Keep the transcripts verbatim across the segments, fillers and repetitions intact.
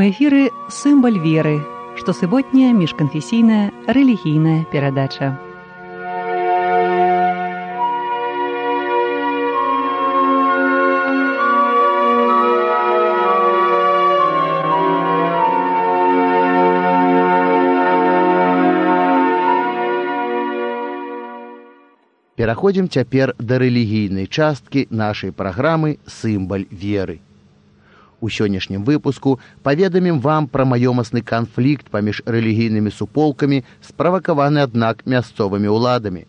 У эфіры «Сымбаль веры», штосуботняя міжканфесійная рэлігійная перадача. Пераходзім цяпер да рэлігійнай часткі нашай праграмы «Сымбаль веры». У сённяшнім выпуску паведамім вам пра маёмасны канфлікт паміж рэлігійнымі суполкамі, справакаваны, аднак, мясцовымі ўладамі.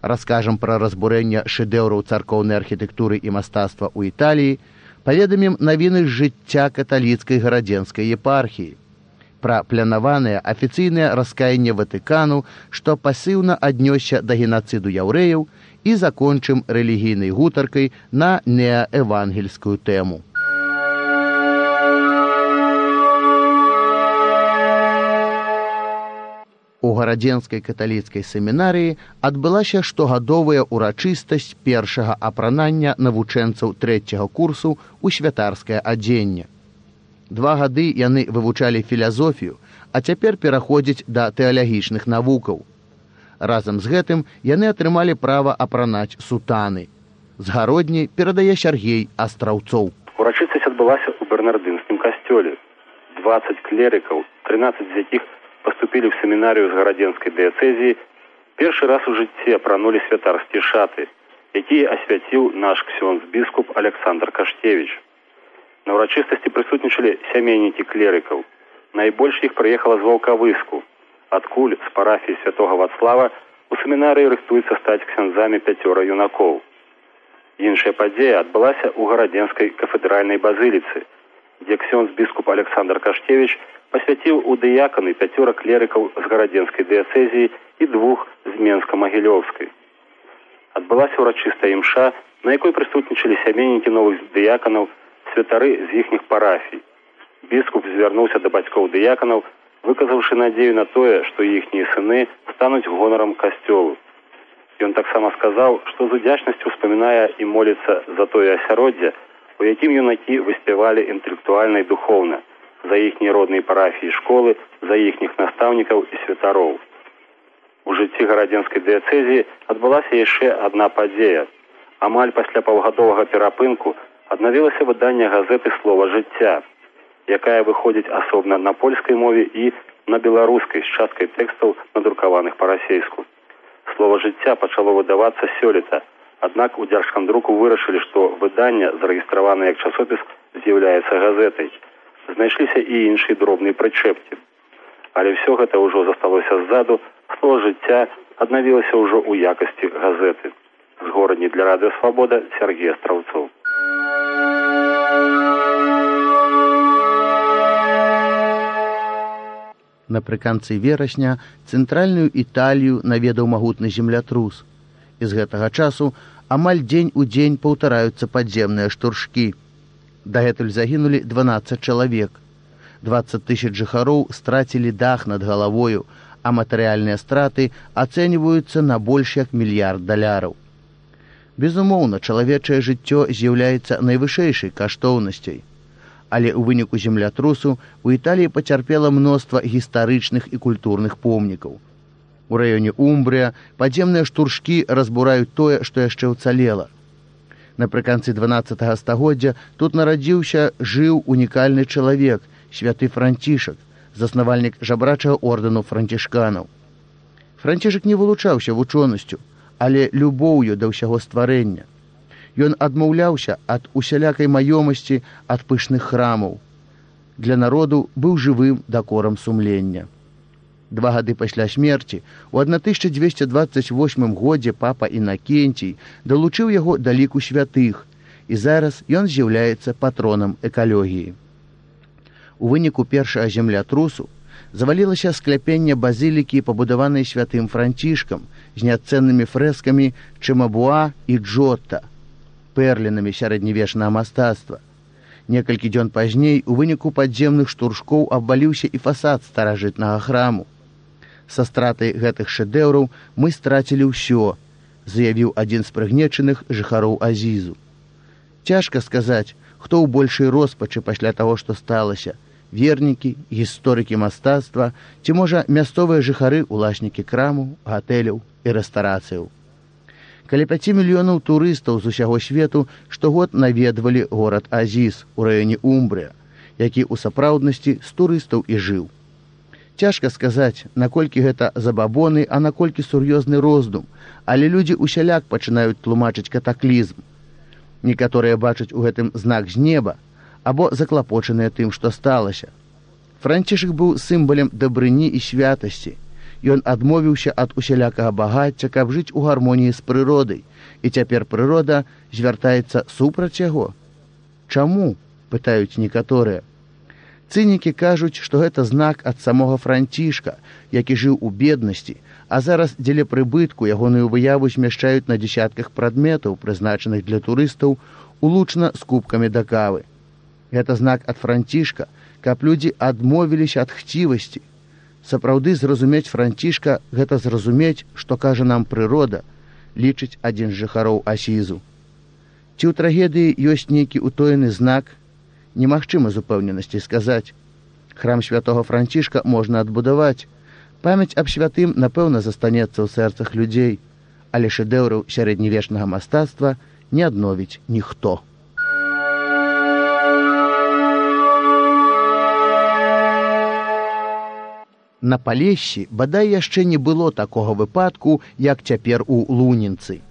Раскажам пра разбурэнне шэдэўраў царкоўнай архітэктуры і мастацтва ў Італіі, паведамім навіны з жыцця каталіцкай гарадзенскай епархіі, пра планаванае афіцыйнае раскаянне Ватыкану, што пасіўна аднёсся да генацыду яўрэяў, і закончым рэлігійнай гутаркай на неаевангельскую тэму. У гарадзенскай каталіцкай семінарыі адбылася штогадовая ўрачыстасць першага апранання навучэнцаў трэцяга курсу ў святарскае адзенне. Два гады яны вывучалі філазофію, а цяпер пераходзяць да тэалагічных навукаў. Разам з гэтым яны атрымалі права апранаць сутаны. З гародні перадае Сяргей Астраўцоў. Урачыстасць адбылася ў бернардынскім касцёле. дваццаць клерыкаў, трынаццаць з якіх поступили в семінарію з гарадзенскай дыяцэзіі, першы раз у жыцці апранулі святарскія шаты, якія асвяціў наш ксёндз-біскуп Александр Каштевіч. На ўрачыстасці прысутнічалі сямейнікі клерыкаў. Найбольш іх прыехала з Ваўкавыску, адкуль з парафіі святога Вацлава у семінарыі рыхтуецца стаць ксяндзамі пяцёра юнакоў. Іншая падзея адбылася ў гарадзенскай кафедральнай базыліцы, дзе ксёндз-біскуп Александр Каштевіч пасвяціў у дыяканы пяцёра клерыкаў з гарадзенскай дыяцэзіі і двух з Менска-Магілёўскай. Адбылася ўрачыстая імша, на якой прысутнічалі сямейнікі новых дыяканаў, святары з іхніх парафій. Біскуп звярнуўся да бацькоў дыяканаў, выказаўшы надзею на тое, што іхнія сыны стануць гонарам касцёлу. Ён таксама сказаў, што з удзячнасцю ўспамінае і моліцца за тое асяроддзе, у якім юнакі выспявалі інтэлектуальна і духоўна, за іхнія родныя парафіі школы, за іхніх настаўнікаў і святароў. У жыцці гарадзенскай дыяцэзіі адбылася яшчэ адна падзея. Амаль пасля паўгадовага перапынку аднавілася выданне газеты «Слова жыцця», якая выходзіць асобна на польскай мове і на беларускай з часткай тэкстаў, надрукаваных па-расейску. «Слова жыцця» пачало выдавацца сёлета, аднак у дзяржкамдруку вырашылі, што выданне, зарэгістраванае як часопіс, з'яўляецца газетай. Знайшліся і іншыя дробныя прычэпкі. Але ўсё гэта ўжо засталося ззаду, «Слова жыцця» аднавілася ўжо ў якасці газеты. З горадні для радыё «Свабода» Сяргей Астраўцоў. Напрыканцы верасня цэнтральную Італію наведаў магутны землятрус. І з гэтага часу амаль дзень у дзень паўтараюцца падземныя штуршкі. Дагэтуль загінулі дванаццаць чалавек. дваццаць тысяч жыхароў страцілі дах над галавою, а матэрыяльныя страты ацэньваюцца на больш як мільярд даляраў. Безумоўна, чалавечае жыццё з'яўляецца найвышэйшай каштоўнасцяй. Але ў выніку землятрусу у Італіі пацярпела мноства гістарычных і культурных помнікаў. У раёне Умбрыя падземныя штуршкі разбураюць тое, што яшчэ ўцалела. Напрыканцы дванаццатага стагоддзя тут нарадзіўся, жыў унікальны чалавек, святы Францішак, заснавальнік жабрачага ордэну францішканаў. Францішак не вылучаўся вучонасцю, але любоўю да ўсяго стварэння. Ён адмаўляўся ад усялякай маёмасці, ад пышных храмаў. Для народу быў жывым дакорам сумлення. Два гады пасля смерці, у тысяча дзвесце дваццаць восьмым годзе папа Інакенцій далучыў яго да ліку святых, і зараз ён з'яўляецца патронам экалогіі. У выніку першага землятрусу завалілася скляпенне базілікі, пабудаванай святым Францішкам, з няцэннымі фрэскамі Чэмабуа і Джотта, пэрлінамі сярэднявечнага мастацтва. Некалькі дзён пазней у выніку падземных штуршкоў абваліўся і фасад старажытнага храму. Са стратай гэтых шэдэўраў мы страцілі ўсё, заявіў адзін з прыгнечаных жыхароў Азізу. Цяжка сказаць, хто ў большай роспачы пасля таго, што сталася, вернікі, гісторыкі мастацтва ці, можа, мясцовыя жыхары, уласнікі крамаў, гатэляў і рэстарацыяў. Каля пяці мільёнаў турыстаў з усяго свету штогод наведвалі горад Азіз у раёне Умбрыя, які ў сапраўднасці з турыстаў і жыў. Цяжка сказаць, наколькі гэта забабоны, а наколькі сур'ёзны роздум, але людзі усяляк пачынаюць тлумачыць катаклізм. Некаторыя бачаць у гэтым знак з неба, або заклапочаныя тым, што сталася. Францішак быў сімвалем дабрыні і святасці. Ён адмовіўся ад усялякага багацця, каб жыць у гармоніі з прыродай, і цяпер прырода звяртаецца супраць яго. Чаму? Пытаюць некаторыя. Цынікі кажуць, што гэта знак ад самога Францішка, які жыў у беднасці, а зараз дзеля прыбытку ягоную выяву змяшчаюць на дзесятках прадметаў, прызначаных для турыстаў, улучна з кубкамі да кавы. Гэта знак ад Францішка, каб людзі адмовіліся ад хцівасці. Сапраўды зразумець Францішка – гэта зразумець, што кажа нам прырода, лічыць адзін з жыхароў Асізу. Ці ў трагедыі ёсць нейкі утоены знак? Немагчыма з упэўненасці сказаць. Храм святого Францішка можна адбудаваць. Памяць аб святым, напэўна, застанецца ў сэрцах людзей, але шэдэўраў сярэднявечнага мастацтва не адновіць ніхто. На Палессі бадай яшчэ не было такога выпадку, як цяпер у Лунінцы.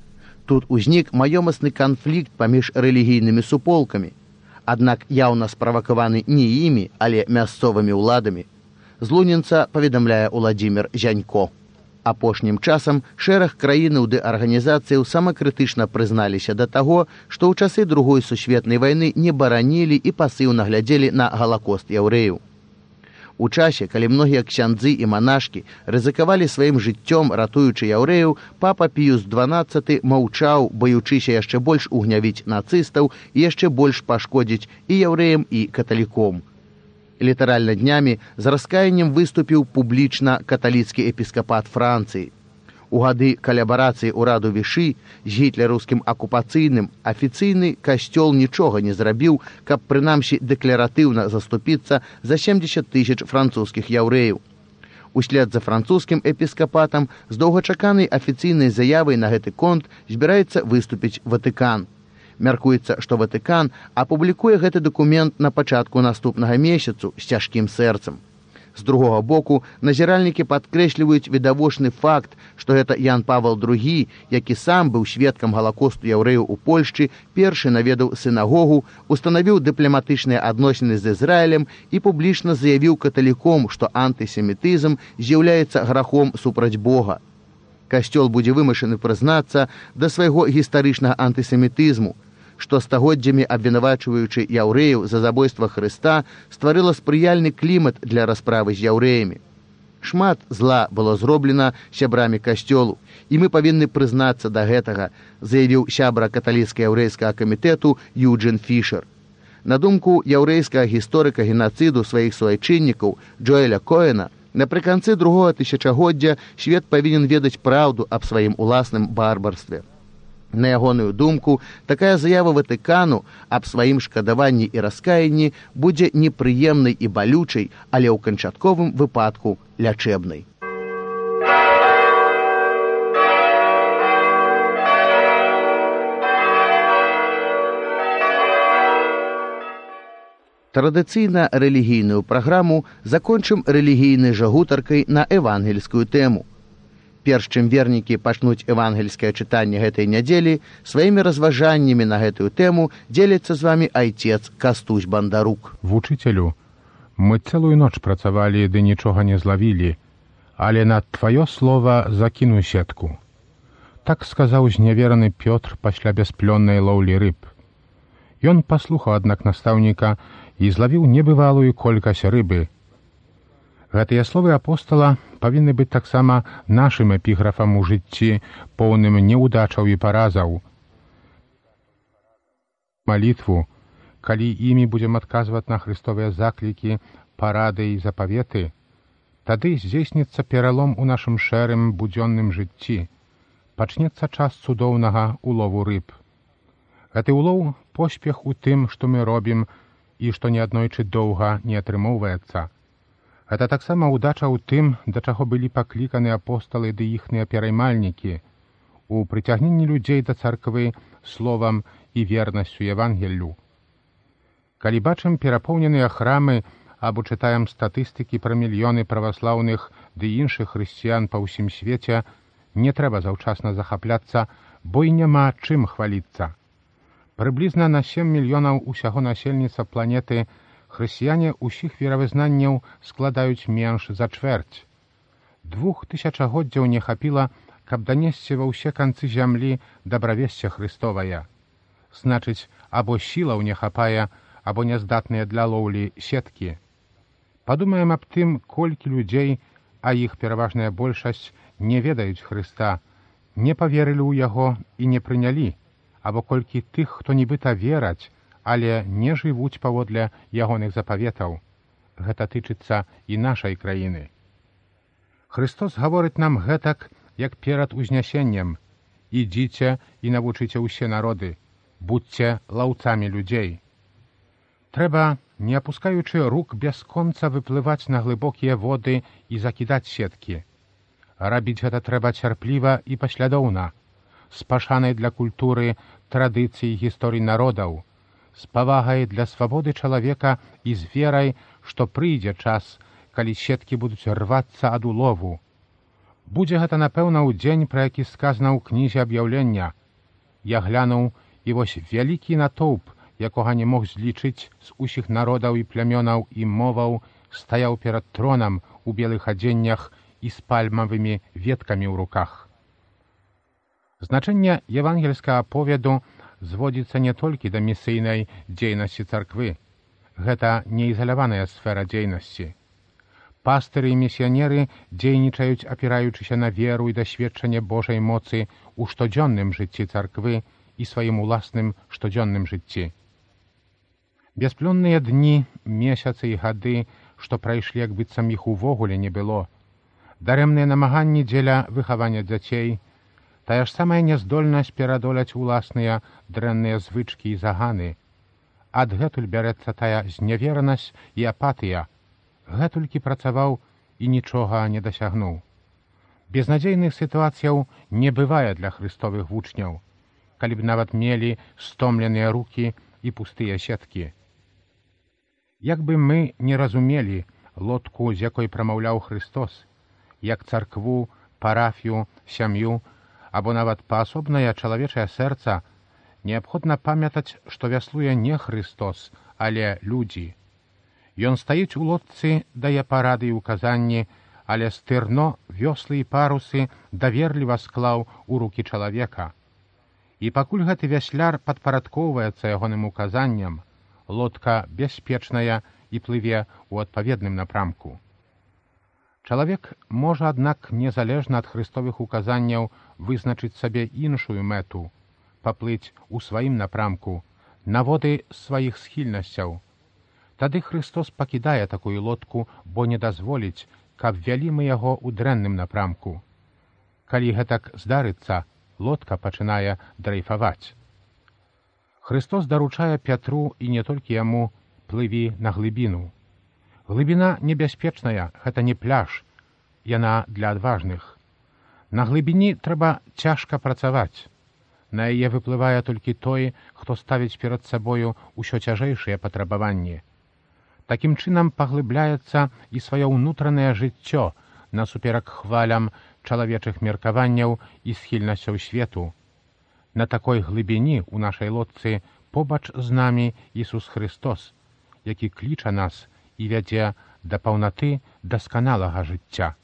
Тут узнік маёмасны канфлікт паміж рэлігійнымі суполкамі. Аднак яўна справакаваны не імі, але мясцовымі ўладамі. З Лунінца паведамляе Уладзімір Зянько. Апошнім часам шэраг краінаў ды арганізацыяў самакрытычна прызналіся да таго, што ў часы Другой сусветнай вайны не баранілі і пасыўна глядзелі на галакост яўрэяў. У часе, калі многія ксяндзы і манашкі рызыкавалі сваім жыццём, ратуючы яўрэяў, папа Піюс дванаццаты маўчаў, баючыся яшчэ больш угнявіць нацыстаў і яшчэ больш пашкодзіць і яўрэям, і каталіком. Літаральна днямі з раскаяннем выступіў публічна каталіцкі эпіскапат Францыі. У гады калабарацыі ўраду Вішы з гітлераўскім акупацыйным афіцыйны касцёл нічога не зрабіў, каб прынамсі дэкларатыўна заступіцца за сямдзесят тысяч французскіх яўрэяў. Услед за французскім эпіскапатам з доўгачаканай афіцыйнай заявай на гэты конт збіраецца выступіць Ватыкан. Мяркуецца, што Ватыкан апублікуе гэты дакумент на пачатку наступнага месяцу з цяжкім сэрцам. З другога боку, назіральнікі падкрэсліваюць відавочны факт, што гэта Ян Павел другі, які сам быў сведкам галакосту яўрэяў у Польшчы, першы наведаў сінагогу, устанавіў дыпламатычныя адносіны з Ізраілем і публічна заявіў каталіком, што антысемітызм з'яўляецца грахом супраць Бога. Касцёл будзе вымушаны прызнацца да свайго гістарычнага антысемітызму, што стагоддзямі абвінавачваючы яўрэяў за забойства Хрыста стварыла спрыяльны клімат для расправы з яўрэямі. Шмат зла было зроблена сябрамі касцёлу, і мы павінны прызнацца да гэтага, заявіў сябра каталіцка-яўрэйскага камітэту Юджин Фішер. На думку яўрэйскага гісторыка генацыду сваіх суайчыннікаў Джоэля Коэна, напрыканцы другога тысячагоддзя свет павінен ведаць праўду аб сваім уласным барбарстве. На ягоную думку, такая заява Ватыкану аб сваім шкадаванні і раскаянні будзе непрыемнай і балючай, але ў канчатковым выпадку лячэбнай. Традыцыйна рэлігійную праграму закончым рэлігійнай жа гутаркай на евангельскую тэму. Перш чым вернікі пачнуць евангельскае чытанне гэтай нядзелі, сваімі разважаннямі на гэтую тэму дзеліцца з вамі айцец Кастусь Бандарук. Вучыцелю, мы цэлую ноч працавалі, ды нічога не злавілі, але на тваё слова закіну сетку. Так сказаў зневераны Пётр пасля бясплённай лоўлі рыб. Ён паслухаў, аднак, настаўніка і злавіў небывалую колькасць рыбы. Гэтыя словы апостала павінны быць таксама нашым эпіграфам у жыцці, поўным неўдачаў і паразаў. Малітву, калі імі будзем адказваць на хрыстовыя заклікі, парады і запаветы, тады здзейсніцца пералом у нашым шэрым будзённым жыцці. Пачнецца час цудоўнага улову рыб. Гэты улоў — поспех у тым, што мы робім, і што неаднойчы доўга не атрымоўваецца. Гэта таксама ўдача ў тым, да чаго былі пакліканы апосталы ды іхныя пераймальнікі, у прыцягненні людзей да царквы словам і вернасцю Евангеллю. Калі бачым перапоўненыя храмы або чытаем статыстыкі пра мільёны праваслаўных ды іншых хрысціян па ўсім свеце, не трэба заўчасна захапляцца, бо і няма чым хваліцца. Прыблізна на сем мільёнаў усяго насельніцтва планеты хрысціяне ўсіх веравызнанняў складаюць менш за чвэрць. Двух тысячагоддзяў не хапіла, каб данесці ва ўсе канцы зямлі дабравесце Хрыстовая. Значыць, або сілаў не хапае, або няздатныя для лоўлі сеткі. Падумаем аб тым, колькі людзей, а іх пераважная большасць, не ведаюць Хрыста, не паверылі ў яго і не прынялі, або колькі тых, хто нібыта вераць, але не жывуць паводле ягоных запаветаў. Гэта тычыцца і нашай краіны. Христос гаворыць нам гэтак, як перад узнясеннем: «Ідзіце і навучыце ўсе народы, будзьце лаўцамі людзей». Трэба, не апускаючы рук, бясконца выплываць на глыбокія воды і закідаць сеткі. Рабіць гэта трэба цярпліва і паслядоўна, з пашанай для культуры, традыцый, гісторый народаў, з павагай для свабоды чалавека і з верай, што прыйдзе час, калі сеткі будуць рвацца ад улову. Будзе гэта, напэўна, ў дзень, пра які сказана ў кнізе аб'яўлення. Я глянуў, і вось вялікі натоўп, якога не мог злічыць з усіх народаў і плямёнаў і моваў, стаяў перад тронам у белых адзеннях і з пальмавымі веткамі ў руках. Значэнне евангельскага аповеду зводзіцца не толькі да місійнай дзейнасці царквы. Гэта не ізаляваная сфера дзейнасці. Пастыры і місіянеры дзейнічаюць, апіраючыся на веру і дасведчанне Божай моцы ў штодзённым жыцці царквы і сваім уласным штодзённым жыцці. Бясплённыя дні, месяцы і гады, што прайшлі, як быццам іх увогуле не было, дарэмныя намаганні дзеля выхавання дзяцей, тая ж самая няздольнасць перадоляць уласныя дрэнныя звычкі і заганы. Адгэтуль бярэцца тая зняверанасць і апатыя. Гэтулькі працаваў і нічога не дасягнуў. Безнадзейных сітуацыяў не бывае для хрыстовых вучняў, калі б нават мелі стомленыя рукі і пустыя сеткі. Як бы мы не разумелі лодку, з якой прамаўляў Христос, як царкву, парафію, сям'ю, або нават паасобнае чалавечае сэрца, неабходна памятаць, што вяслуе не Христос, але людзі. Ён стаіць у лодцы, дае парады і указанні, але стырно, вёслы і парусы даверліва склаў у рукі чалавека. І пакуль гэты вясляр падпарадкоўваецца ягоным указанням, лодка бяспечная і плыве ў адпаведным напрамку. Чалавек можа, аднак, незалежна ад хрыстовых указанняў вызначыць сабе іншую мэту, паплыць у сваім напрамку, на воды сваіх схільнасцяў. Тады Христос пакідае такую лодку, бо не дазволіць, каб вялі мы яго ў дрэнным напрамку. Калі гэтак здарыцца, лодка пачынае драйфаваць. Христос даручае Пятру і не толькі яму: плыві на глыбіну. Глыбіна небяспечная, гэта не пляж, яна для адважных. На глыбіні трэба цяжка працаваць. На яе выплывае толькі той, хто ставіць перад сабою ўсё цяжэйшыя патрабаванні. Такім чынам паглыбляецца і сваё ўнутранае жыццё насуперак хвалям чалавечых меркаванняў і схільнасцяў свету. На такой глыбіні ў нашай лодцы побач з намі Ісус Христос, які кліча нас і вядзе да паўнаты дасканалага жыцця.